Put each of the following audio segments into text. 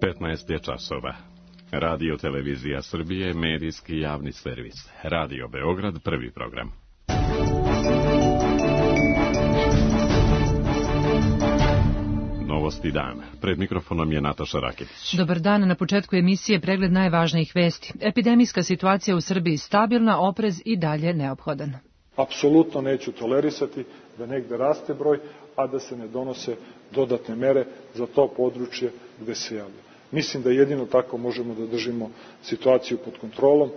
15 je časova. Radio Televizija Srbije, medijski javni servis. Radio Beograd, prvi program. Novosti dan. Pred mikrofonom je Nataša Raketić. Dobar dan, na početku emisije pregled najvažnijih vesti. Epidemijska situacija u Srbiji stabilna, oprez i dalje neophodan. Apsolutno neću tolerisati da negde raste broj, a da se ne donose dodatne mere za to područje gde se javlja. Mislim da jedino tako možemo da držimo situaciju pod kontrolom.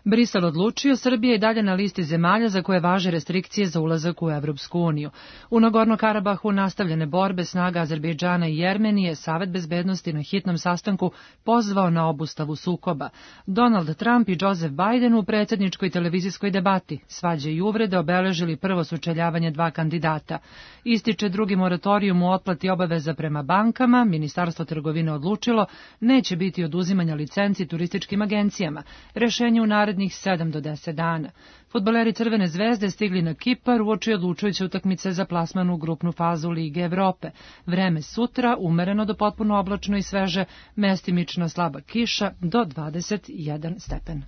Brisel odlučio, Srbija je dalje na listi zemalja za koje važe restrikcije za ulazak u Evropsku uniju. U Nagorno-Karabahu nastavljene borbe snaga Azerbejdžana i Jermenije, Savet bezbednosti na hitnom sastanku pozvao na obustavu sukoba. Donald Trump i Joseph Biden u predsjedničkoj televizijskoj debati. Svađe i uvrede obeležili prvo sučeljavanje dva kandidata. Ističe drugi moratorijum u otplati obaveza prema bankama, Ministarstvo trgovine odlučilo, neće biti oduzimanja licenci turističkim agencijama. Rešenje u narednih 7 do 10 dana. Fudbaleri Crvene zvezde stigli na Kipar uoči odlučujuće utakmice za plasman u grupnu fazu Lige Evrope. Vreme sutra umereno do potpuno oblačno i sveže, mestimično slaba kiša do 21 stepen.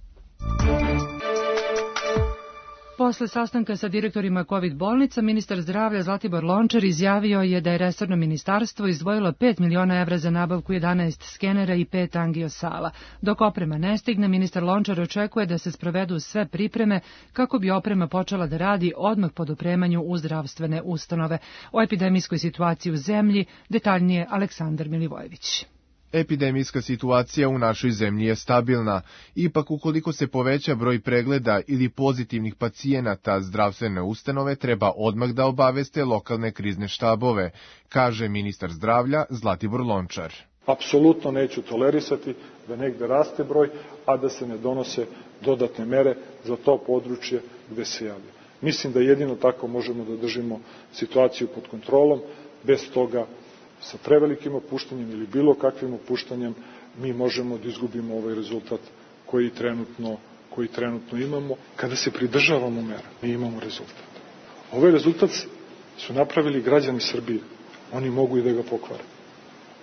Posle sastanka sa direktorima COVID bolnica, ministar zdravlja Zlatibor Lončar izjavio je da je resorno ministarstvo izdvojilo 5 miliona evra za nabavku 11 skenera i 5 angiosala. Dok oprema ne stigne, ministar Lončar očekuje da se sprovedu sve pripreme kako bi oprema počela da radi odmah po dopremanju u zdravstvene ustanove. O epidemijskoj situaciji u zemlji detaljnije Aleksandar Milivojević. Epidemijska situacija u našoj zemlji je stabilna. Ipak, ukoliko se poveća broj pregleda ili pozitivnih pacijenata, zdravstvene ustanove treba odmah da obaveste lokalne krizne štabove, kaže ministar zdravlja Zlatibor Lončar. Apsolutno neću tolerisati da negde raste broj, a da se ne donose dodatne mere za to područje gde se javlja. Mislim da jedino tako možemo da držimo situaciju pod kontrolom, bez toga sa prevelikim opuštanjem ili bilo kakvim opuštanjem mi možemo da izgubimo ovaj rezultat koji trenutno imamo. Kada se pridržavamo mera, mi imamo rezultat. Ovaj rezultat su napravili građani Srbije. Oni mogu i da ga pokvare.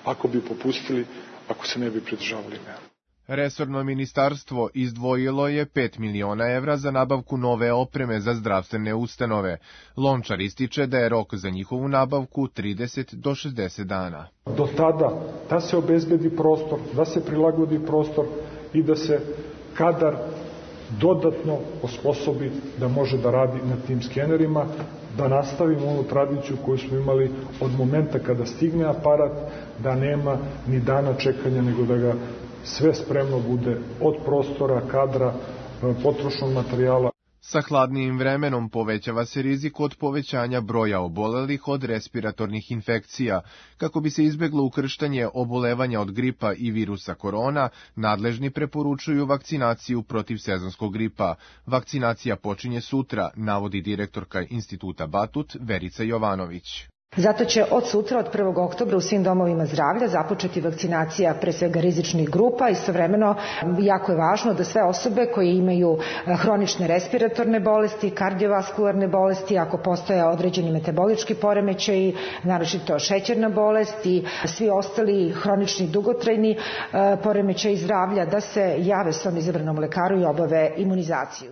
Ako bi popustili, ako se ne bi pridržavali mera. Resorno ministarstvo izdvojilo je 5 miliona evra za nabavku nove opreme za zdravstvene ustanove. Lončar ističe da je rok za njihovu nabavku 30 do 60 dana. Do tada da se obezbedi prostor, da se prilagodi prostor i da se kadar dodatno osposobi da može da radi na tim skenerima, da nastavimo onu tradiciju koju smo imali od momenta kada stigne aparat, da nema ni dana čekanja, nego da ga sve spremno bude od prostora, kadra, potrošnog materijala. Sa hladnijim vremenom povećava se rizik od povećanja broja obolelih od respiratornih infekcija. Kako bi se izbeglo ukrštanje obolevanja od gripa i virusa korona, nadležni preporučuju vakcinaciju protiv sezonskog gripa. Vakcinacija počinje sutra, navodi direktorka Instituta Batut Verica Jovanović. Zato će od sutra, od 1. oktobra u svim domovima zdravlja započeti vakcinacija pre svega rizičnih grupa. Istovremeno jako je važno da sve osobe koje imaju hronične respiratorne bolesti, kardiovaskularne bolesti, ako postoje određeni metabolički poremećaji, naročito šećerna bolest i svi ostali hronični dugotrajni poremećaji zdravlja, da se jave svom izabranom lekaru i obave imunizaciju.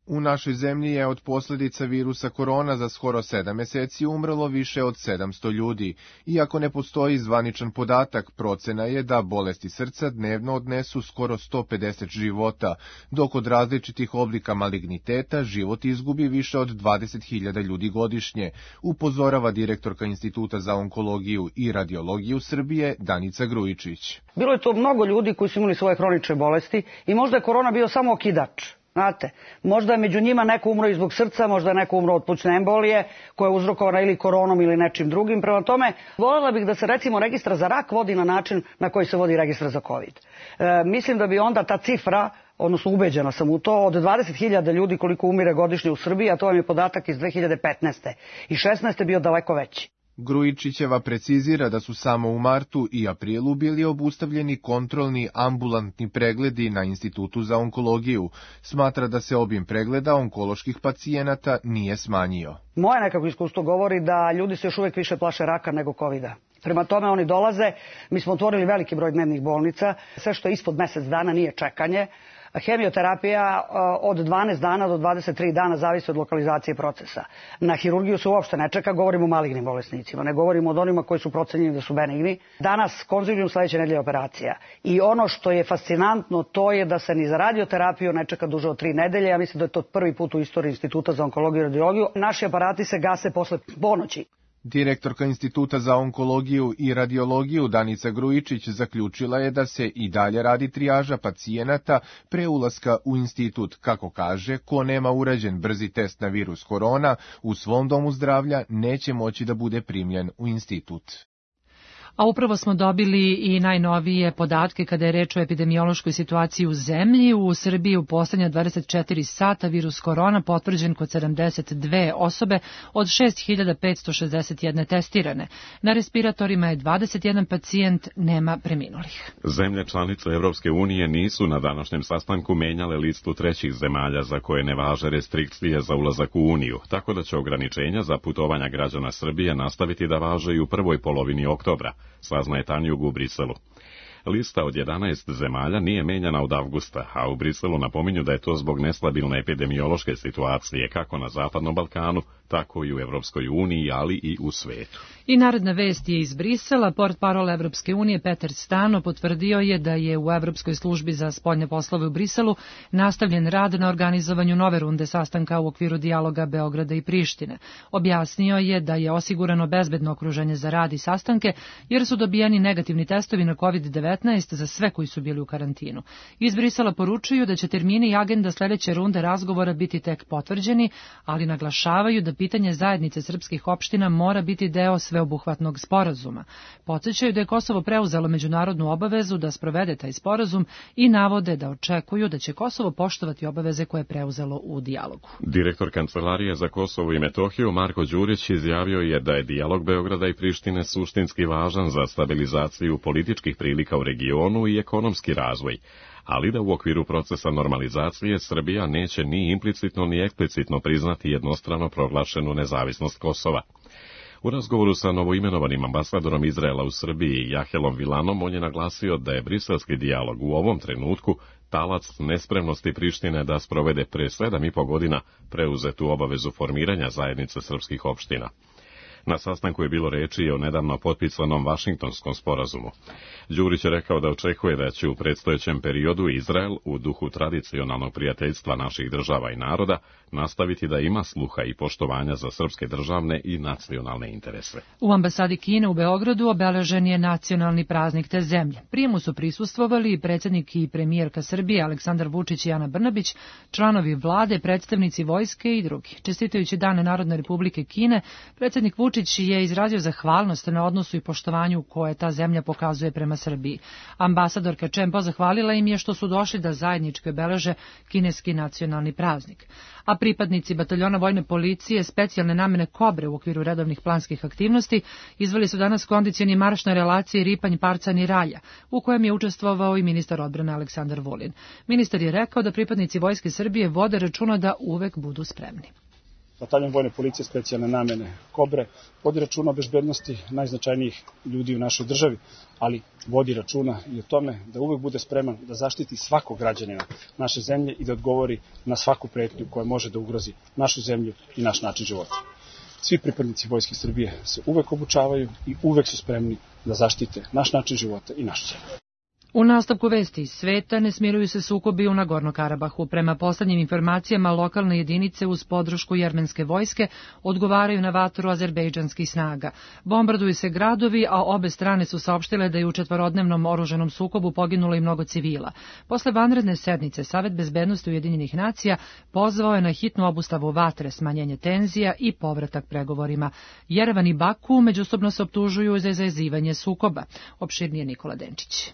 U našoj zemlji je od posljedica virusa korona za skoro 7 meseci umrlo više od 700 ljudi. Iako ne postoji zvaničan podatak, procena je da bolesti srca dnevno odnesu skoro 150 života, dok od različitih oblika maligniteta život izgubi više od 20.000 ljudi godišnje, upozorava direktorka Instituta za onkologiju i radiologiju Srbije Danica Grujičić. Bilo je to mnogo ljudi koji su imali svoje hronične bolesti i možda je korona bio samo okidač. Znate, možda je među njima neko umro i zbog srca, možda je neko umro od plućne embolije koja je uzrokovana ili koronom ili nečim drugim. Prema tome, voljela bih da se recimo registar za rak vodi na način na koji se vodi registar za COVID. Mislim da bi onda ta cifra, odnosno ubeđena sam u to, od 20.000 ljudi koliko umire godišnje u Srbiji, a to vam je podatak iz 2015. i 2016. bio daleko veći. Grujičićeva precizira da su samo u martu i aprilu bili obustavljeni kontrolni ambulantni pregledi na Institutu za onkologiju. Smatra da se obim pregleda onkoloških pacijenata nije smanjio. Moje nekako iskustvo govori da ljudi se još uvijek više plaše raka nego covida. Prema tome oni dolaze, mi smo otvorili veliki broj dnevnih bolnica, sve što je ispod mesec dana nije čekanje. Hemioterapija od 12 dana do 23 dana zavisi od lokalizacije procesa. Na hirurgiju se uopšte ne čeka, govorimo o malignim bolesnicima, ne govorimo od onima koji su procenjeni da su benigni. Danas konzilium, sledeće nedelje operacija. I ono što je fascinantno, to je da se ni za radioterapiju ne čeka duže od 3 nedelje. Ja mislim da je to prvi put u istoriji Instituta za onkologiju i radiologiju. Naši aparati se gase posle ponoći. Direktorka Instituta za onkologiju i radiologiju Danica Grujičić zaključila je da se i dalje radi trijaža pacijenata pre ulaska u institut. Kako kaže, ko nema urađen brzi test na virus korona u svom domu zdravlja neće moći da bude primljen u institut. A upravo smo dobili i najnovije podatke kada je reč o epidemiološkoj situaciji u zemlji. U Srbiji u poslednja 24 sata virus korona potvrđen kod 72 osobe od 6561 testirane. Na respiratorima je 21 pacijent, nema preminulih. Zemlje članice Evropske unije nisu na današnjem sastanku menjale listu trećih zemalja za koje ne važe restrikcije za ulazak u Uniju, tako da će ograničenja za putovanja građana Srbije nastaviti da važe i u prvoj polovini oktobra, saznaje Tanjug u Briselu. Lista od 11 zemalja nije menjana od avgusta, a u Briselu napominju da je to zbog nestabilne epidemiološke situacije kako na Zapadnom Balkanu, tako i u Evropskoj uniji, ali i u svetu. I naredna vest je iz Brisela. Portparol Evropske unije Peter Stano potvrdio je da je u Evropskoj službi za spoljne poslove u Briselu nastavljen rad na organizovanju nove runde sastanka u okviru dijaloga Beograda i Prištine. Objasnio je da je osigurano bezbedno okruženje za rad i sastanke, jer su dobijeni negativni testovi na COVID-19 za sve koji su bili u karantinu. Iz Brisela poručuju da će termini i agenda sledeće runde razgovora biti tek potvrđeni, ali naglašavaju da pitanje zajednice srpskih opština mora biti deo sveobuhvatnog sporazuma. Podsećaju da je Kosovo preuzelo međunarodnu obavezu da sprovede taj sporazum i navode da očekuju da će Kosovo poštovati obaveze koje je preuzelo u dijalogu. Direktor Kancelarije za Kosovo i Metohiju Marko Đurić izjavio je da je dijalog Beograda i Prištine suštinski važan za stabilizaciju političkih prilika u regionu i ekonomski razvoj, ali da u okviru procesa normalizacije Srbija neće ni implicitno ni eksplicitno priznati jednostrano proglašenu nezavisnost Kosova. U razgovoru sa novoimenovanim ambasadorom Izraela u Srbiji Jahelom Vilanom on je naglasio da je briselski dijalog u ovom trenutku talac nespremnosti Prištine da sprovede pre 7,5 godina preuzetu obavezu formiranja zajednice srpskih opština. Na sastanku je bilo reči i o nedavno potpisanom Vašingtonskom sporazumu. Đurić je rekao da očekuje da će u predstojećem periodu Izrael, u duhu tradicionalnog prijateljstva naših država i naroda, nastaviti da ima sluha i poštovanja za srpske državne i nacionalne interese. U ambasadi Kine u Beogradu obeležen je nacionalni praznik te zemlje. Prijemu su prisustvovali predsjednik i premijerka Srbije Aleksandar Vučić i Ana Brnabić, članovi vlade, predstavnici vojske i drugi. Čestitajući Dane Narodne Republike Kine, predsjednik Vučić je izrazio zahvalnost na odnosu i poštovanju koje ta zemlja pokazuje prema Srbiji. Ambasadorka Čempo zahvalila im je što su došli da zajednički obeleže kineski nacionalni praznik. A pripadnici bataljona vojne policije specijalne namene Kobre u okviru redovnih planskih aktivnosti izveli su danas kondicioni marš na relaciji Ripanj-Parcan-Ralja, u kojem je učestvovao i ministar odbrane Aleksandar Vulin. Ministar je rekao da pripadnici Vojske Srbije vode računa da uvek budu spremni. Bataljon vojne policije specijalne namene Kobre vodi računa o bezbednosti najznačajnijih ljudi u našoj državi, ali vodi računa i o tome da uvek bude spreman da zaštiti svakog građanina naše zemlje i da odgovori na svaku pretnju koja može da ugrozi našu zemlju i naš način života. Svi pripadnici Vojske Srbije se uvek obučavaju i uvek su spremni da zaštite naš način života i našu zemlju. U nastavku vesti iz sveta ne smiruju se sukobi u Nagorno-Karabahu. Prema poslednjim informacijama, lokalne jedinice uz podršku jermenske vojske odgovaraju na vatru azerbejdžanskih snaga. Bombarduju se gradovi, a obe strane su saopštile da je u četvorodnevnom oružanom sukobu poginulo i mnogo civila. Posle vanredne sednice, Savet bezbednosti Ujedinjenih nacija pozvao je na hitnu obustavu vatre, smanjenje tenzija i povratak pregovorima. Jerevan i Baku međusobno se optužuju za izazivanje sukoba. Opširnije Nikola Denčić.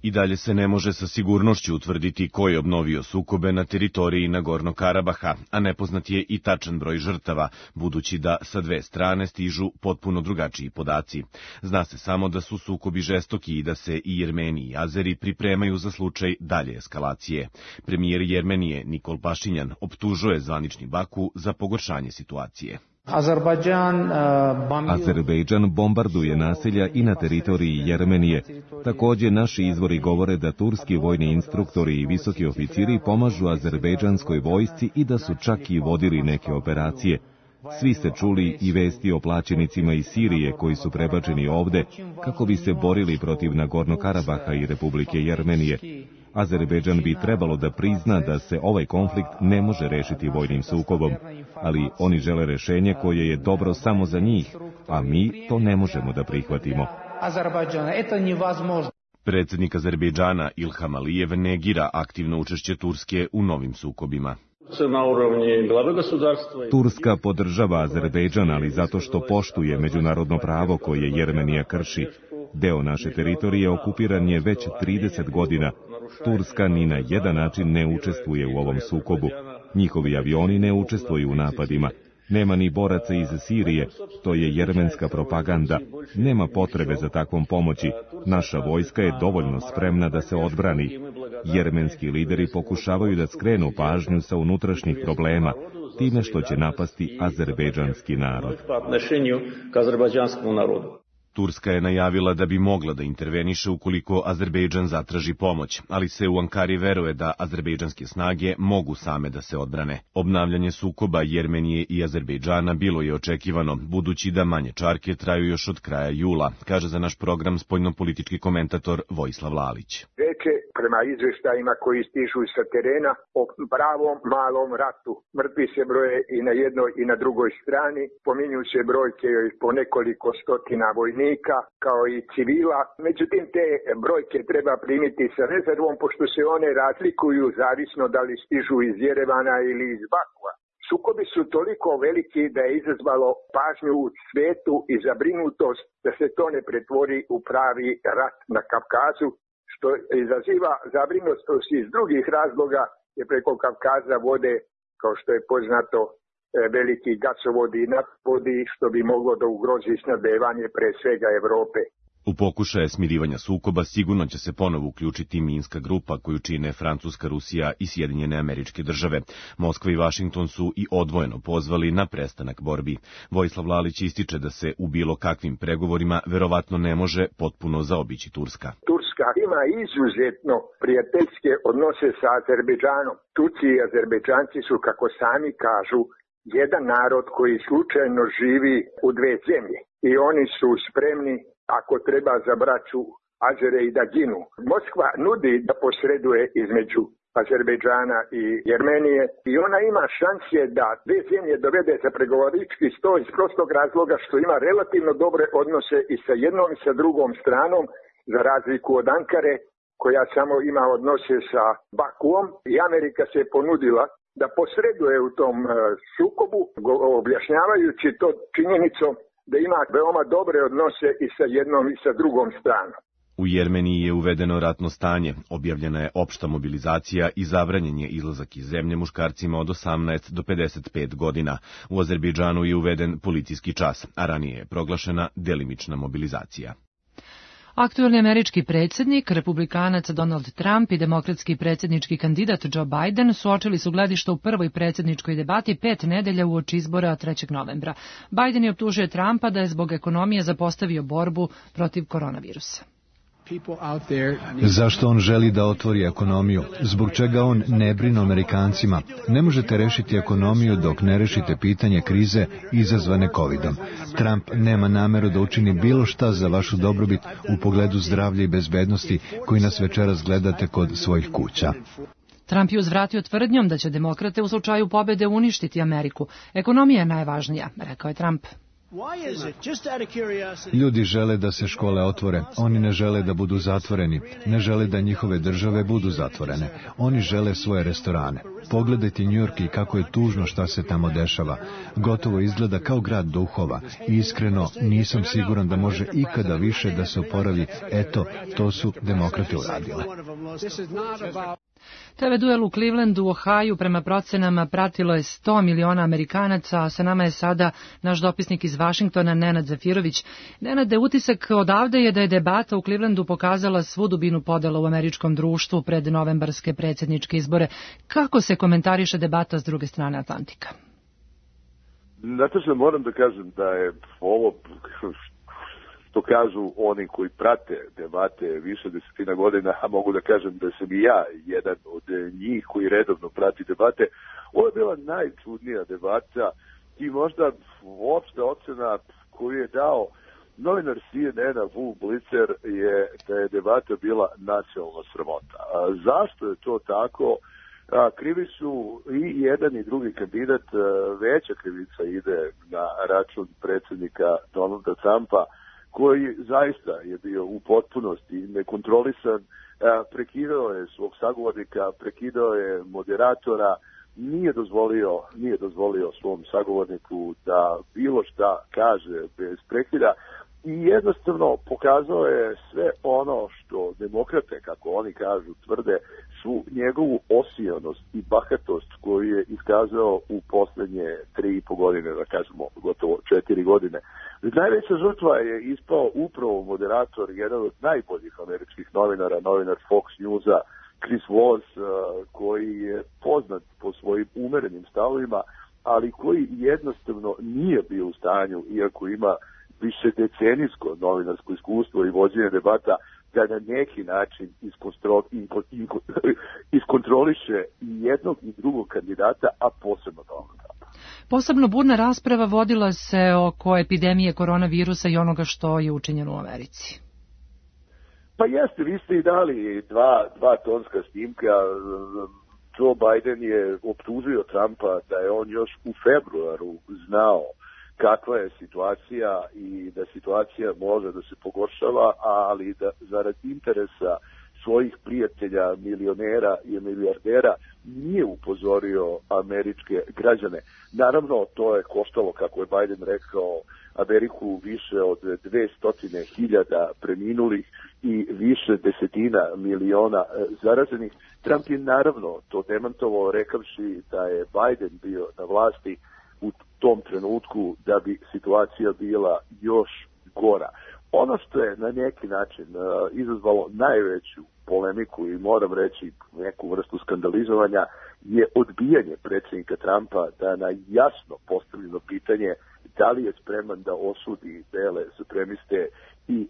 I dalje se ne može sa sigurnošću utvrditi ko je obnovio sukobe na teritoriji Nagorno-Karabaha, a nepoznat je i tačan broj žrtava, budući da sa dve strane stižu potpuno drugačiji podaci. Zna se samo da su sukobi žestoki i da se i Jermeni i Azeri pripremaju za slučaj dalje eskalacije. Premijer Jermenije Nikol Pašinjan optužuje zvanični Baku za pogoršanje situacije. Azerbejdžan bombarduje naselja i na teritoriji Jermenije. Takođe, naši izvori govore da turski vojni instruktori i visoki oficiri pomažu azerbejdžanskoj vojsci i da su čak i vodili neke operacije. Svi ste čuli i vesti o plaćenicima iz Sirije koji su prebačeni ovde kako bi se borili protiv Nagorno-Karabaha i Republike Jermenije. Azerbejdžan bi trebalo da prizna da se ovaj konflikt ne može rešiti vojnim sukobom, ali oni žele rešenje koje je dobro samo za njih, a mi to ne možemo da prihvatimo. Predsjednik Azerbejdžana Ilham Alijev negira aktivno učešće Turske u novim sukobima. Turska podržava Azerbejdžan, ali zato što poštuje međunarodno pravo koje Jermenija krši. Deo naše teritorije okupiran je već 30 godina. Turska ni na jedan način ne učestvuje u ovom sukobu. Njihovi avioni ne učestvuju u napadima. Nema ni boraca iz Sirije, to je jermenska propaganda. Nema potrebe za takvom pomoći. Naša vojska je dovoljno spremna da se odbrani. Jermenski lideri pokušavaju da skrenu pažnju sa unutrašnjih problema, time što će napasti azerbejdžanski narod. Turska je najavila da bi mogla da interveniše ukoliko Azerbejdžan zatraži pomoć, ali se u Ankari veruje da azerbejdžanske snage mogu same da se odbrane. Obnavljanje sukoba Jermenije i Azerbejdžana bilo je očekivano, budući da manje čarke traju još od kraja jula, kaže za naš program spoljnopolitički komentator Vojislav Lalić. Prema izveštajima koji stižu sa terena o pravom malom ratu. Mrtvi se broje i na jednoj i na drugoj strani, pominju se brojke po nekoliko stotina vojnika kao i civila. Međutim, te brojke treba primiti sa rezervom, pošto se one razlikuju zavisno da li stižu iz Jerevana ili iz Bakua. Sukobi su toliko veliki da je izazvalo pažnju u svetu i zabrinutost da se to ne pretvori u pravi rat na Kavkazu, što izaziva zabrinutost iz drugih razloga, je preko Kavkaza vode, kao što je poznato, veliki gasovodi i naftovodi, što bi moglo da ugrozi snabdevanje pre svega Evrope. U pokušaje smirivanja sukoba sigurno će se ponovo uključiti Minska grupa koju čine Francuska, Rusija i Sjedinjene Američke Države. Moskva i Vašington su i odvojeno pozvali na prestanak borbi. Vojislav Lalić ističe da se u bilo kakvim pregovorima verovatno ne može potpuno zaobići Turska. Turska ima izuzetno prijateljske odnose sa Azerbejdžanom. Turci i Azerbejdžanci su, kako sami kažu, jedan narod koji slučajno živi u dve zemlje i oni su spremni, ako treba, za braću Azere i da ginu. Moskva nudi da posreduje između Azerbejdžana i Jermenije i ona ima šanse da dve zemlje dovede za pregovorički sto iz prostog razloga što ima relativno dobre odnose i sa jednom i sa drugom stranom, za razliku od Ankare koja samo ima odnose sa Bakuom, i Amerika se ponudila da posreduje u tom sukobu, objašnjavajući to činjenicom da ima veoma dobre odnose i sa jednom i sa drugom stranom. U Jermeniji je uvedeno ratno stanje, objavljena je opšta mobilizacija i zabranjen je izlazak iz zemlje muškarcima od 18 do 55 godina. U Azerbejdžanu je uveden policijski čas, a ranije je proglašena delimična mobilizacija. Aktuelni američki predsjednik, republikanac Donald Trump i demokratski predsjednički kandidat Joe Biden suočili su gledišta u prvoj predsjedničkoj debati 5 nedelja uoči izbora 3. novembra. Biden je optužio Trumpa da je zbog ekonomije zapostavio borbu protiv koronavirusa. Zašto on želi da otvori ekonomiju? Zbog čega on ne brine o Amerikancima? Ne možete rešiti ekonomiju dok ne rešite pitanje krize izazvane COVID-om. Trump nema nameru da učini bilo šta za vašu dobrobit u pogledu zdravlja i bezbednosti koji nas večeras gledate kod svojih kuća. Trump je uzvratio tvrdnjom da će demokrate u slučaju pobede uništiti Ameriku. Ekonomija je najvažnija, rekao je Trump. Ljudi žele da se škole otvore, oni ne žele da budu zatvoreni, ne žele da njihove države budu zatvorene, oni žele svoje restorane. Pogledajte New York i kako je tužno šta se tamo dešava. Gotovo izgleda kao grad duhova i iskreno nisam siguran da može ikada više da se oporavi. Eto, to su demokrate uradile. TV duel u Clevelandu, u Ohaju, prema procenama pratilo je 100 miliona Amerikanaca, a sa nama je sada naš dopisnik iz Vašingtona, Nenad Zafirović. Nenade, utisak odavde je da je debata u Clevelandu pokazala svu dubinu podela u američkom društvu pred novembarske predsjedničke izbore. Kako se komentariše debata s druge strane Atlantika? Znate što moram da kažem da je ovo, što kažu oni koji prate debate više desetina godina, a mogu da kažem da sam i ja jedan od njih koji redovno prati debate, ovo je bila najčudnija debata i možda uopšte ocena koju je dao novinar CNN-a Wolf Blitzer je da je debata bila nacionalna sramota. Zašto je to tako? Krivi su i jedan i drugi kandidat, veća krivica ide na račun predsjednika Donalda Trumpa, koji zaista je bio u potpunosti nekontrolisan, prekidao je svog sagovornika, prekidao je moderatora, nije dozvolio svom sagovorniku da bilo šta kaže bez prekida i jednostavno pokazao je sve ono što demokrate, kako oni kažu, tvrde, su njegovu osijanost i bahatost koju je iskazao u poslednje 3,5 godine, da kažemo gotovo 4 godine. Najveća žrtva je ispao upravo moderator, jedan od najboljih američkih novinara, novinar Fox Newsa, Chris Voss, koji je poznat po svojim umerenim stavovima, ali koji jednostavno nije bio u stanju, iako ima više decenijsko novinarsko iskustvo i vođenje debata, da na neki način iskontroliše i jednog i drugog kandidata, a posebno Donalda Trumpa. Posebno burna rasprava vodila se oko epidemije koronavirusa i onoga što je učinjeno u Americi. Pa jeste, vi ste i dali dva tonska snimka. Joe Biden je optužio Trumpa da je on još u februaru znao kakva je situacija i da situacija može da se pogoršava, ali da zarad interesa svojih prijatelja, milionera i milijardera nije upozorio američke građane. Naravno, to je koštalo, kako je Biden rekao, Ameriku više od 200.000 preminulih i više desetina miliona zaraženih. Trump je naravno to demantovao rekavši da je Biden bio na vlasti u tom trenutku da bi situacija bila još gora. Ono što je na neki način izazvalo najveću polemiku i moram reći neku vrstu skandalizovanja je odbijanje predsjednika Trumpa da na jasno postavljeno pitanje da li je spreman da osudi bele supremiste i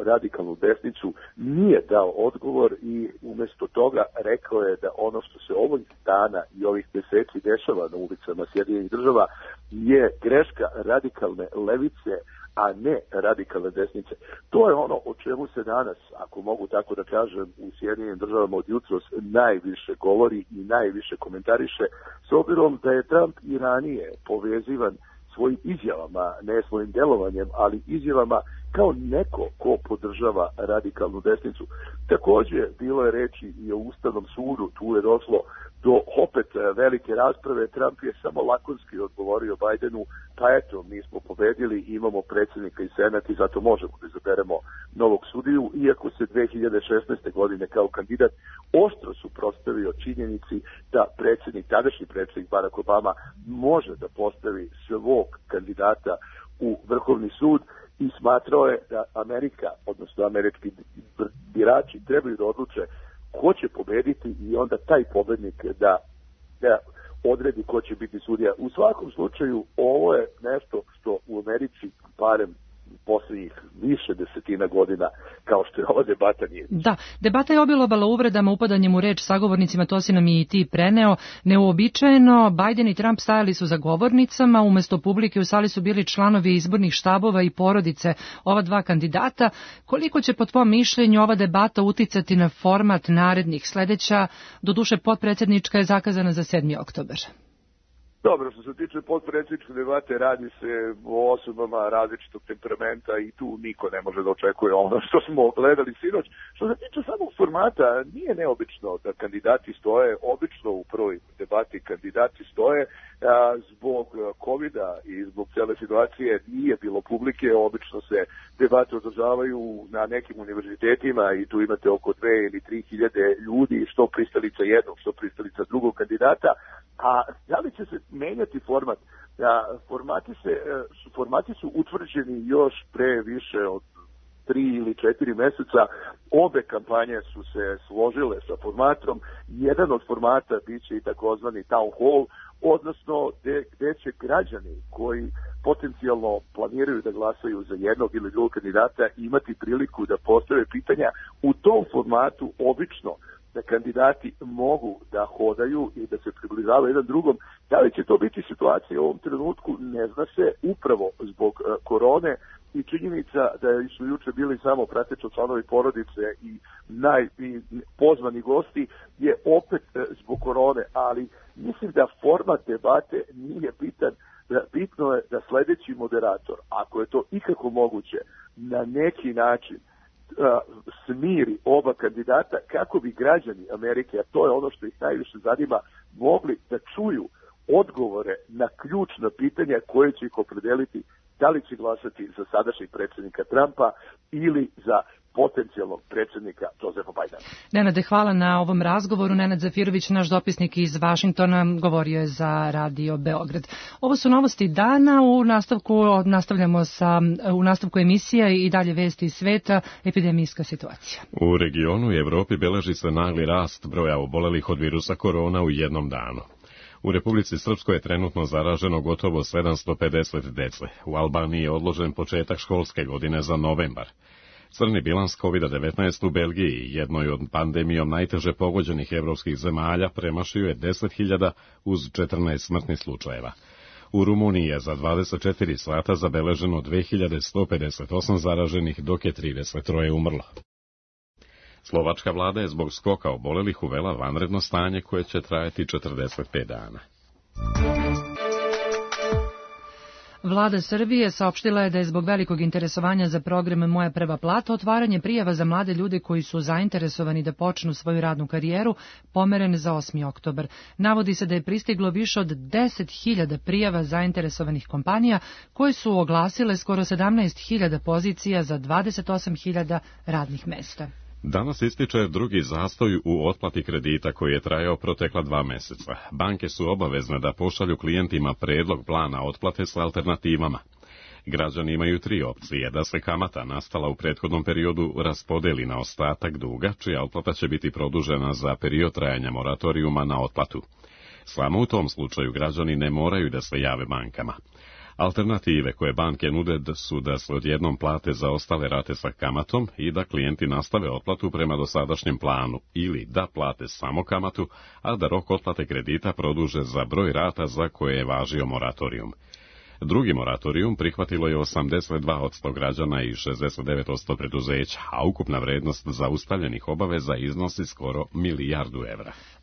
radikalnu desnicu, nije dao odgovor i umjesto toga rekao je da ono što se ovih dana i ovih meseci dešava na ulicama Sjedinjenih Država je greška radikalne levice, a ne radikalne desnice. To je ono o čemu se danas, ako mogu tako da kažem, u Sjedinjenim Državama od jutros najviše govori i najviše komentariše, s obzirom da je Trump i ranije povezivan svojim izjavama, ne svojim delovanjem, ali izjavama kao neko ko podržava radikalnu desnicu. Također, bilo je reči i o Ustavnom sudu, tu je došlo do opet velike rasprave. Trump je samo lakonski odgovorio Bidenu, pa eto, mi smo pobedili, imamo predsjednika i senat i zato možemo da izaberemo novog sudiju, iako se 2016. godine kao kandidat oštro suprotstavio činjenici da tadašnji predsjednik Barack Obama može da postavi svog kandidata u Vrhovni sud i smatrao je da Amerika, odnosno američki birači, trebaju da odluče ko će pobediti i onda taj pobednik da odredi ko će biti sudija. U svakom slučaju, ovo je nešto što u Americi, barem poslednjih više desetina godina, kao što je ova debata nije. Da, debata je obilovala uvredama, upadanjem u reč sagovornicima, to si nam i ti preneo. Neuobičajeno, Biden i Trump stajali su za govornicama, umesto publike u sali su bili članovi izbornih štabova i porodice ova dva kandidata. Koliko će po tvom mišljenju ova debata uticati na format narednih? Sledeća, doduše potpredsjednička, je zakazana za 7. oktobar. Dobro, što se tiče potpredsjedničke debate, radi se o osobama različitog temperamenta i tu niko ne može da očekuje ono što smo gledali sinoć. Što se tiče samog formata, nije neobično da kandidati stoje, obično u prvoj debati kandidati stoje, zbog COVID-a i zbog cele situacije nije bilo publike, obično se debate održavaju na nekim univerzitetima i tu imate oko 2 ili 3 hiljade ljudi, što pristalica jednog, što pristalica drugog kandidata. A da li će se menjati format? Formati su utvrđeni još pre više od 3 ili 4 meseca Obe kampanje su se složile sa formatom. Jedan od formata biće i takozvani town hall, odnosno gde će građani koji potencijalno planiraju da glasaju za jednog ili drugog kandidata imati priliku da postave pitanja. U tom formatu obično da kandidati mogu da hodaju i da se približavaju jedan drugom. Da li će to biti situacija u ovom trenutku, ne zna se, upravo zbog korone i činjenica da su juče bili samo prateći članovi porodice i pozvani gosti je opet zbog korone, ali mislim da format debate nije bitan. Bitno je da sledeći moderator, ako je to ikako moguće, na neki način smiri oba kandidata kako bi građani Amerike, a to je ono što ih najviše zanima, mogli da čuju odgovore na ključna pitanja koje će ih opredeliti da li će glasati za sadašnjeg predsjednika Trumpa ili za potencijalnog predsjednika Josefa Bidena. Nenade, hvala na ovom razgovoru. Nenad Zafirović, naš dopisnik iz Vašingtona, govorio je za Radio Beograd. Ovo su novosti dana. U nastavku emisije i dalje vesti iz sveta, epidemijska situacija. U regionu i Evropi beleži se nagli rast broja obolelih od virusa korona u jednom danu. U Republici Srpskoj je trenutno zaraženo gotovo 750 dece. U Albaniji je odložen početak školske godine za novembar. Crni bilans COVID-19 u Belgiji, jednoj od pandemijom najteže pogođenih evropskih zemalja, premašio je 10.000 uz 14 smrtnih slučajeva. U Rumuniji je za 24 sata zabeleženo 2158 zaraženih, dok je 33 umrlo. Slovačka vlada je zbog skoka obolelih uvela vanredno stanje koje će trajati 45 dana. Vlada Srbije saopštila je da je zbog velikog interesovanja za program Moja prva plata otvaranje prijava za mlade ljude koji su zainteresovani da počnu svoju radnu karijeru pomeren za 8. oktobar. Navodi se da je pristiglo više od 10.000 prijava zainteresovanih kompanija koje su oglasile skoro 17.000 pozicija za 28.000 radnih mesta. Danas ističe drugi zastoj u otplati kredita koji je trajao protekla 2 meseca. Banke su obavezne da pošalju klijentima predlog plana otplate s alternativama. Građani imaju 3 opcije: da se kamata nastala u prethodnom periodu raspodeli na ostatak duga, čija otplata će biti produžena za period trajanja moratorijuma na otplatu. Samo u tom slučaju građani ne moraju da se jave bankama. Alternative koje banke nude su da se odjednom plate za ostale rate sa kamatom i da klijenti nastave otplatu prema dosadašnjem planu, ili da plate samo kamatu, a da rok otplate kredita produže za broj rata za koje je važio moratorijum. Drugi moratorijum prihvatilo je 82% građana i 69% preduzeća, a ukupna vrednost zaustavljenih obaveza iznosi skoro €1 milijardu.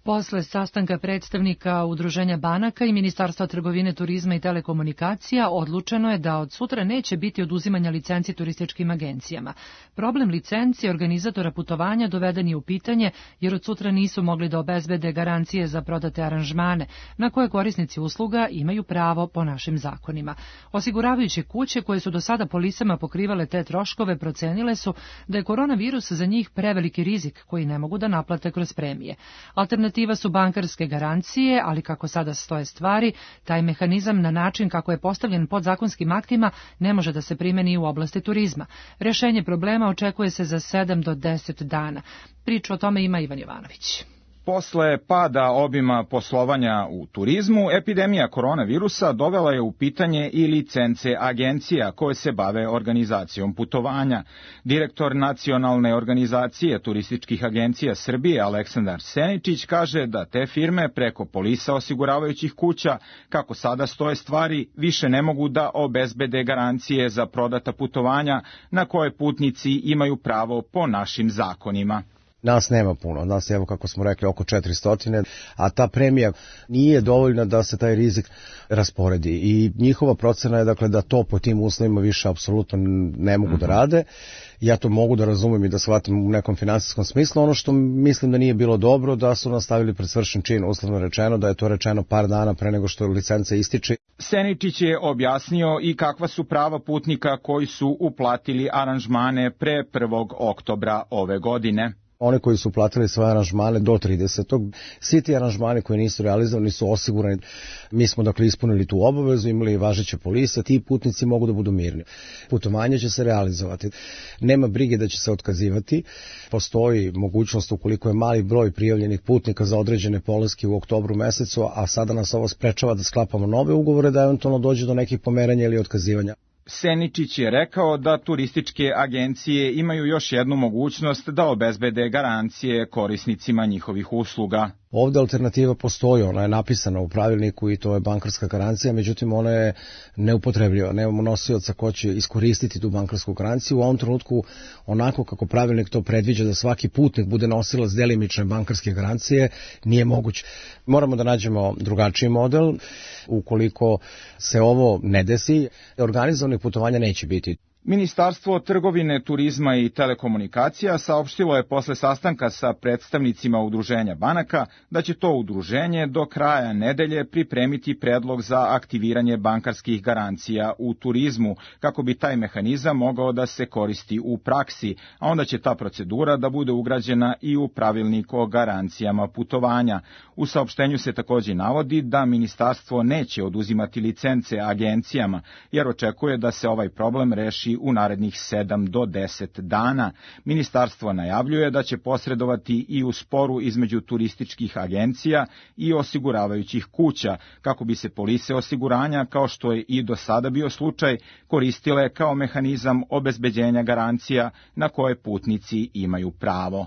Posle sastanka predstavnika Udruženja banaka i Ministarstva trgovine, turizma i telekomunikacija odlučeno je da od sutra neće biti oduzimanja licenci turističkim agencijama. Problem licenci organizatora putovanja doveden je u pitanje jer od sutra nisu mogli da obezbede garancije za prodate aranžmane, na koje korisnici usluga imaju pravo po našim zakonima. Osiguravajuće kuće koje su do sada polisama pokrivale te troškove procenile su da je koronavirus za njih preveliki rizik koji ne mogu da naplate kroz premije. Alternativa su bankarske garancije, ali kako sada stoje stvari, taj mehanizam na način kako je postavljen podzakonskim aktima ne može da se primeni u oblasti turizma. Rešenje problema očekuje se za 7 do 10 dana. Priču o tome ima Ivan Jovanović. Posle pada obima poslovanja u turizmu, epidemija koronavirusa dovela je u pitanje i licence agencija koje se bave organizacijom putovanja. Direktor Nacionalne organizacije turističkih agencija Srbije, Aleksandar Seničić, kaže da te firme preko polisa osiguravajućih kuća, kako sada stoje stvari, više ne mogu da obezbede garancije za prodata putovanja na koje putnici imaju pravo po našim zakonima. Nas nema puno, nas je, evo kako smo rekli, oko 400, a ta premija nije dovoljna da se taj rizik rasporedi i njihova procena je dakle da to po tim uslovima više apsolutno ne mogu da rade. Ja to mogu da razumem i da shvatim u nekom finansijskom smislu. Ono što mislim da nije bilo dobro, da su nastavili pred svršen čin, uslovno rečeno, da je to rečeno par dana pre nego što licenca ističe. Seničić je objasnio i kakva su prava putnika koji su uplatili aranžmane pre 1. oktobra ove godine. Oni koji su platili svoje aranžmane do 30. Svi ti aranžmani koji nisu realizovani su osigurani. Mi smo dakle ispunili tu obavezu, imali važeće polise, ti putnici mogu da budu mirni. Putovanje će se realizovati. Nema brige da će se otkazivati. Postoji mogućnost ukoliko je mali broj prijavljenih putnika za određene polaske u oktobru mesecu, a sada nas ovo sprečava da sklapamo nove ugovore, da eventualno dođe do nekih pomeranja ili otkazivanja. Seničić je rekao da turističke agencije imaju još jednu mogućnost da obezbede garancije korisnicima njihovih usluga. Ovde alternativa postoji, ona je napisana u pravilniku i to je bankarska garancija, međutim ona je neupotrebljiva, nemamo nosioca ko će iskoristiti tu bankarsku garanciju. U ovom trenutku, onako kako pravilnik to predviđa da svaki putnik bude nosilac delimične bankarske garancije, nije moguće. Moramo da nađemo drugačiji model. Ukoliko se ovo ne desi, organizovanih putovanja neće biti. Ministarstvo trgovine, turizma i telekomunikacija saopštilo je posle sastanka sa predstavnicima udruženja banaka da će to udruženje do kraja nedelje pripremiti predlog za aktiviranje bankarskih garancija u turizmu, kako bi taj mehanizam mogao da se koristi u praksi, a onda će ta procedura da bude ugrađena i u pravilnik o garancijama putovanja. U saopštenju se takođe navodi da ministarstvo neće oduzimati licence agencijama, jer očekuje da se ovaj problem reši u narednih 7 do 10 dana. Ministarstvo najavljuje da će posredovati i u sporu između turističkih agencija i osiguravajućih kuća, kako bi se polise osiguranja, kao što je i do sada bio slučaj, koristile kao mehanizam obezbeđenja garancija na koje putnici imaju pravo.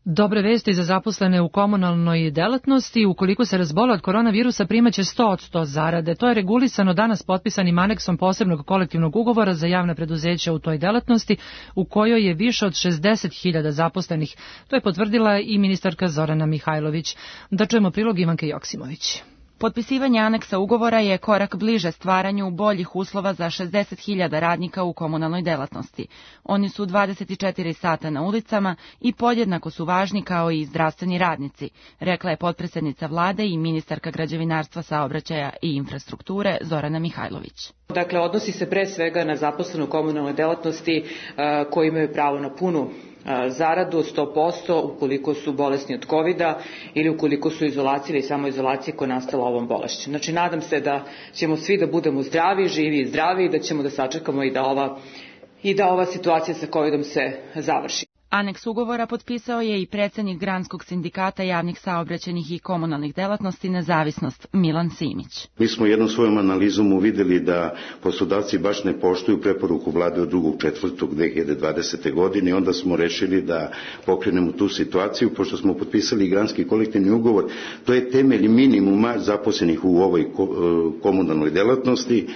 Dobre vesti za zaposlene u komunalnoj delatnosti. Ukoliko se razbole od koronavirusa, primaće 100% zarade. To je regulisano danas potpisanim aneksom posebnog kolektivnog ugovora za javna preduzeća u toj delatnosti, u kojoj je više od 60.000 zaposlenih. To je potvrdila i ministarka Zorana Mihajlović. Da čujemo prilog Ivanke Joksimović. Potpisivanje aneksa ugovora je korak bliže stvaranju boljih uslova za 60.000 radnika u komunalnoj delatnosti. Oni su 24 sata na ulicama i podjednako su važni kao i zdravstveni radnici, rekla je potpredsednica vlade i ministarka građevinarstva, saobraćaja i infrastrukture Zorana Mihajlović. Dakle, odnosi se pre svega na zaposlene u komunalnoj delatnosti koji imaju pravo na punu zaradu 100% ukoliko su bolesni od COVID-a ili ukoliko su izolaciji ili samoizolacije koja je nastala ovom bolešću. Znači, nadam se da ćemo svi da budemo zdravi, živi i zdravi i da ćemo da sačekamo i da ova situacija sa COVID-om se završi. Aneks ugovora potpisao je i predsednik Granskog sindikata javnih saobraćajnih i komunalnih delatnosti Nezavisnost Milan Simić. Mi smo jednom svojom analizom uvideli da poslodavci baš ne poštuju preporuku vlade od 2.4.2020. godine i onda smo rešili da pokrenemo tu situaciju, pošto smo potpisali Granski kolektivni ugovor. To je temelj minimuma zaposlenih u ovoj komunalnoj delatnosti.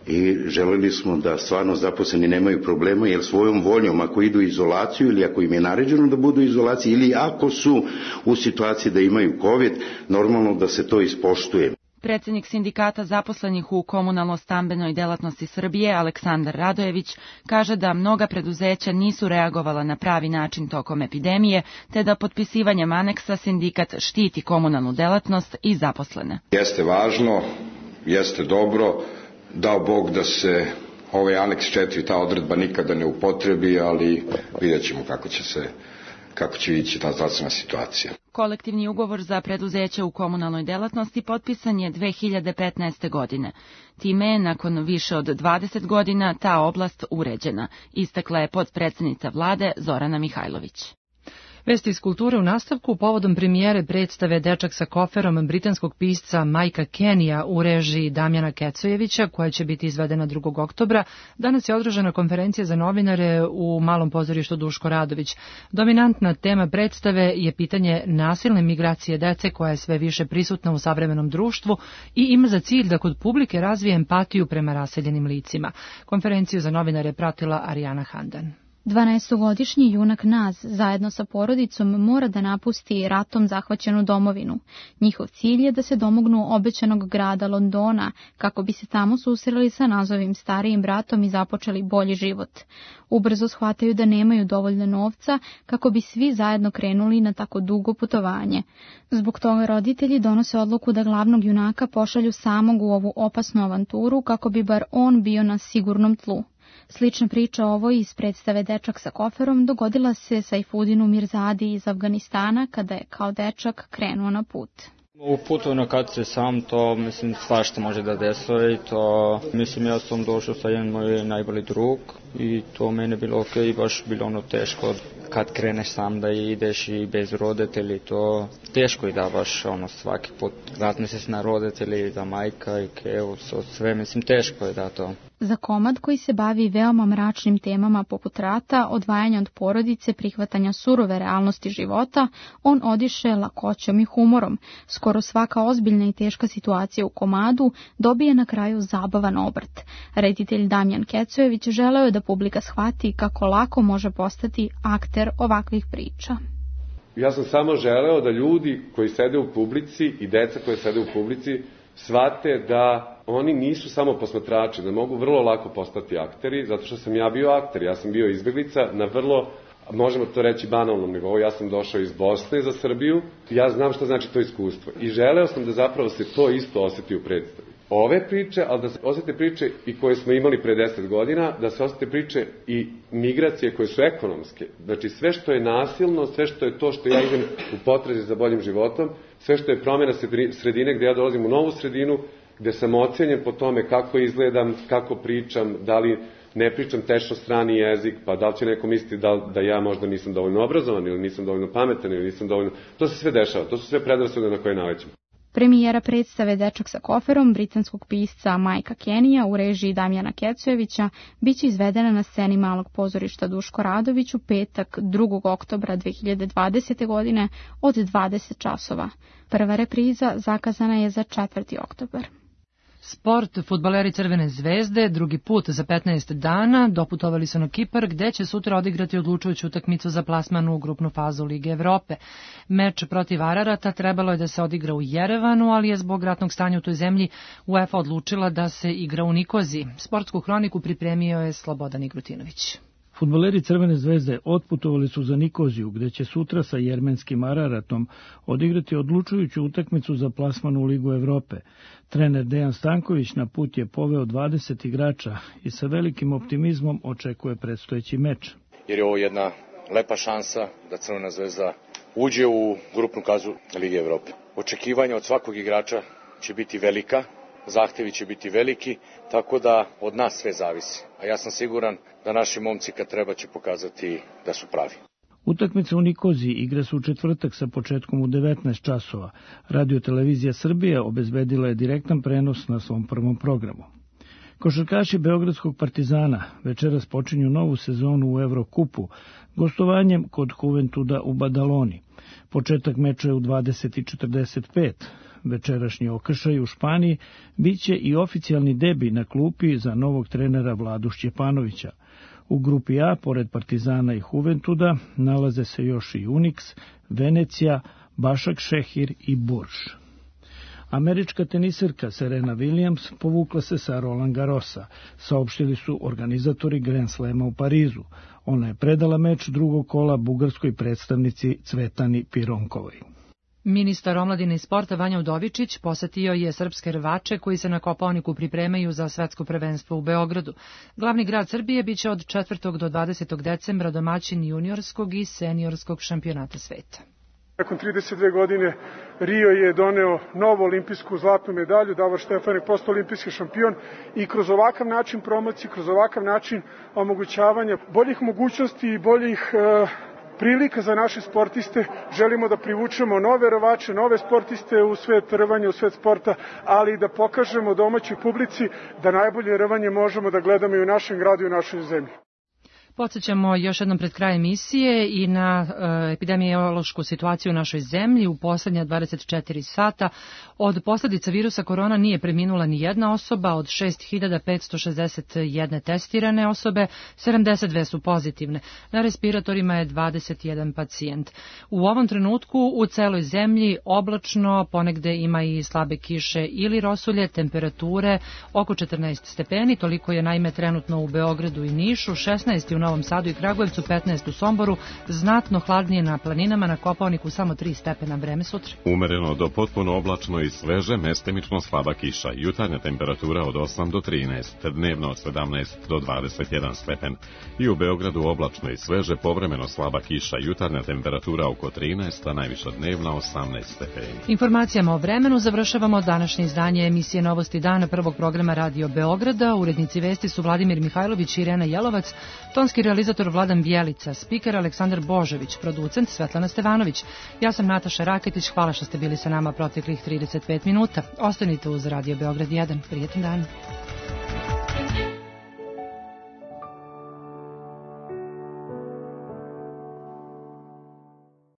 I želeli smo da stvarno zaposleni nemaju problema, jer svojom voljom, ako idu u izolaciju ili ako im je naređeno da budu u izolaciji ili ako su u situaciji da imaju COVID, normalno da se to ispoštuje. Predsednik sindikata zaposlenih u komunalno-stambenoj delatnosti Srbije, Aleksandar Radojević, kaže da mnoga preduzeća nisu reagovala na pravi način tokom epidemije, te da potpisivanjem aneksa sindikat štiti komunalnu delatnost i zaposlene. Jeste važno, jeste dobro, dao Bog da se ovaj aneks 4, ta odredba nikada ne upotrebi, ali vidjet ćemo kako će ići ta zdravstvena situacija. Kolektivni ugovor za preduzeće u komunalnoj delatnosti potpisan je 2015. godine. Time je nakon više od 20 godina ta oblast uređena, istakla je potpredsednica vlade Zorana Mihajlović. Vesti iz kulture u nastavku. Povodom premijere predstave Dečak sa koferom britanskog pisca Majka Kenija u režiji Damjana Kecojevića, koja će biti izvedena 2. oktobra, danas je održana konferencija za novinare u Malom pozorištu Duško Radović. Dominantna tema predstave je pitanje nasilne migracije dece, koja je sve više prisutna u savremenom društvu i ima za cilj da kod publike razvije empatiju prema raseljenim licima. Konferenciju za novinare pratila Arijana Handan. 12-godišnji junak Naz zajedno sa porodicom mora da napusti ratom zahvaćenu domovinu. Njihov cilj je da se domognu obećanog grada Londona, kako bi se tamo susreli sa Nazovim starijim bratom i započeli bolji život. Ubrzo shvataju da nemaju dovoljno novca kako bi svi zajedno krenuli na tako dugo putovanje. Zbog toga roditelji donose odluku da glavnog junaka pošalju samog u ovu opasnu avanturu kako bi bar on bio na sigurnom tlu. Slična priča ovoj iz predstave Dečak sa koferom dogodila se Sajfudinu Mirzadi iz Afganistana kada je kao dečak krenuo na put. U putu kad se sam, to mislim svašta može da desilo i to mislim ja sam došao sa jedan moj najbolji drug i to mene bilo okej, baš bilo ono teško kad kreneš sam da ideš i bez roditelji, to teško i da baš ono svaki put vratne se na roditelji, da majka i kevo, sve mislim teško je da to. Za komad koji se bavi veoma mračnim temama poput rata, odvajanja od porodice, prihvatanja surove realnosti života, on odiše lakoćom i humorom. Skoro svaka ozbiljna i teška situacija u komadu dobije na kraju zabavan obrt. Reditelj Damjan Kecojević želeo je da publika shvati kako lako može postati akter ovakvih priča. Ja sam samo želeo da ljudi koji sede u publici i deca koje sede u publici shvate da oni nisu samo posmatrači, da mogu vrlo lako postati akteri, zato što sam ja bio akter, ja sam bio izbeglica na vrlo, možemo to reći, banalnom nivou, ja sam došao iz Bosne za Srbiju, ja znam što znači to iskustvo i želeo sam da zapravo se to isto osjeti u predstavi. Ove priče, ali da se osjete priče i koje smo imali pre 10 godina, da se osjete priče i migracije koje su ekonomske. Znači sve što je nasilno, sve što je to što ja idem u potrazi za boljim životom, sve što je promjena sredine gde ja dolazim u novu sredinu, gde sam ocenjen po tome kako izgledam, kako pričam, da li ne pričam tečno strani jezik, pa da li će neko misliti da ja možda nisam dovoljno obrazovan ili nisam dovoljno pametan ili nisam dovoljno... To se sve dešava, to su sve predrasude na koje nalećemo. Premijera predstave Dečak sa koferom britanskog pisca Majka Kenija u režiji Damjana Kecojevića biće izvedena na sceni Malog pozorišta Duško Radović u petak 2. oktobra 2020. godine od 20 časova. Prva repriza zakazana je za 4. oktobar. Sport, fudbaleri Crvene zvezde, drugi put za 15 dana doputovali su na Kipar, gde će sutra odigrati odlučujuću utakmicu za plasman u grupnu fazu Lige Evrope. Meč protiv Ararata trebalo je da se odigra u Jerevanu, ali je zbog ratnog stanja u toj zemlji UEFA odlučila da se igra u Nikoziji. Sportsku hroniku pripremio je Slobodan Igrutinović. Fudbaleri Crvene zvezde otputovali su za Nikoziju, gde će sutra sa jermenskim Araratom odigrati odlučujuću utakmicu za plasman u Ligu Evrope. Trener Dejan Stanković na put je poveo 20 igrača i sa velikim optimizmom očekuje predstojeći meč. Jer je ovo jedna lepa šansa da Crvena zvezda uđe u grupnu fazu Lige Evrope. Očekivanja od svakog igrača će biti velika, zahtevi će biti veliki, tako da od nas sve zavisi. A ja sam siguran da naši momci kad treba će pokazati da su pravi. Utakmica u Nikoziji igra se u četvrtak sa početkom u 19 časova. Radio-televizija Srbije obezbedila je direktan prenos na svom prvom programu. Košarkaši Beogradskog Partizana večeras počinju novu sezonu u Evrokupu, gostovanjem kod Juventuda u Badaloni. Početak meča je u 20:45. Večerašnji okršaj u Španiji biće i oficijalni debi na klupi za novog trenera Vladu Šćepanovića. U grupi A, pored Partizana i Juventuda, nalaze se još i Unix, Venecija, Bašak Šehir i Burž. Američka teniserka Serena Williams povukla se sa Roland Garrosa, saopštili su organizatori Grand Slema u Parizu. Ona je predala meč drugog kola bugarskoj predstavnici Cvetani Pironkovoj. Ministar omladine i sporta Vanja Udovičić posetio je srpske rvače koji se na Kopaoniku pripremaju za svetsko prvenstvo u Beogradu. Glavni grad Srbije biće od 4. do 20. decembra domaćin juniorskog i seniorskog šampionata sveta. Nakon 32 godine Rio je doneo novu olimpijsku zlatnu medalju, Davor Štefan je postao olimpijski šampion i kroz ovakav način promocije, kroz ovakav način omogućavanja boljih mogućnosti i boljih prilika za naše sportiste, želimo da privučemo nove rvače, nove sportiste u svet rvanja, u svet sporta, ali i da pokažemo domaćoj publici da najbolje rvanje možemo da gledamo i u našem gradu i u našoj zemlji. Podsjećamo još jednom pred krajem emisije i na epidemiološku situaciju u našoj zemlji. U poslednja 24 sata od posljedica virusa korona nije preminula ni jedna osoba, od 6561 testirane osobe, 72 su pozitivne. Na respiratorima je 21 pacijent. U ovom trenutku u celoj zemlji oblačno, ponegde ima i slabe kiše ili rosulje, temperature oko 14 stepeni, toliko je naime trenutno u Beogradu i Nišu, 16 u Novom Sadu i Kragujevcu, 15 u Somboru, znatno hladnije na planinama, na Kopaoniku samo 3 stepena. Vreme sutra. Umereno do potpuno oblačno i sveže, mestimično slaba kiša. Jutarnja temperatura od 8 do 13, dnevno od 17 do 21 stepen. I u Beogradu oblačno i sveže, povremeno slaba kiša. Jutarnja temperatura oko 13, a najviša dnevna 18 stepeni. Informacijama o vremenu završavamo današnje izdanje emisije Novosti dana prvog programa Radio Beograda. Urednici vesti su Vladimir Mihajlović i Irena Jelovac, tonski realizator Vladan Bjelica, spiker Aleksandar Božović, producent Svetlana Stevanović. Ja sam Nataša Raketić, hvala što ste bili sa nama proteklih 35 minuta. Ostanite uz Radio Beograd 1. Prijetan dan.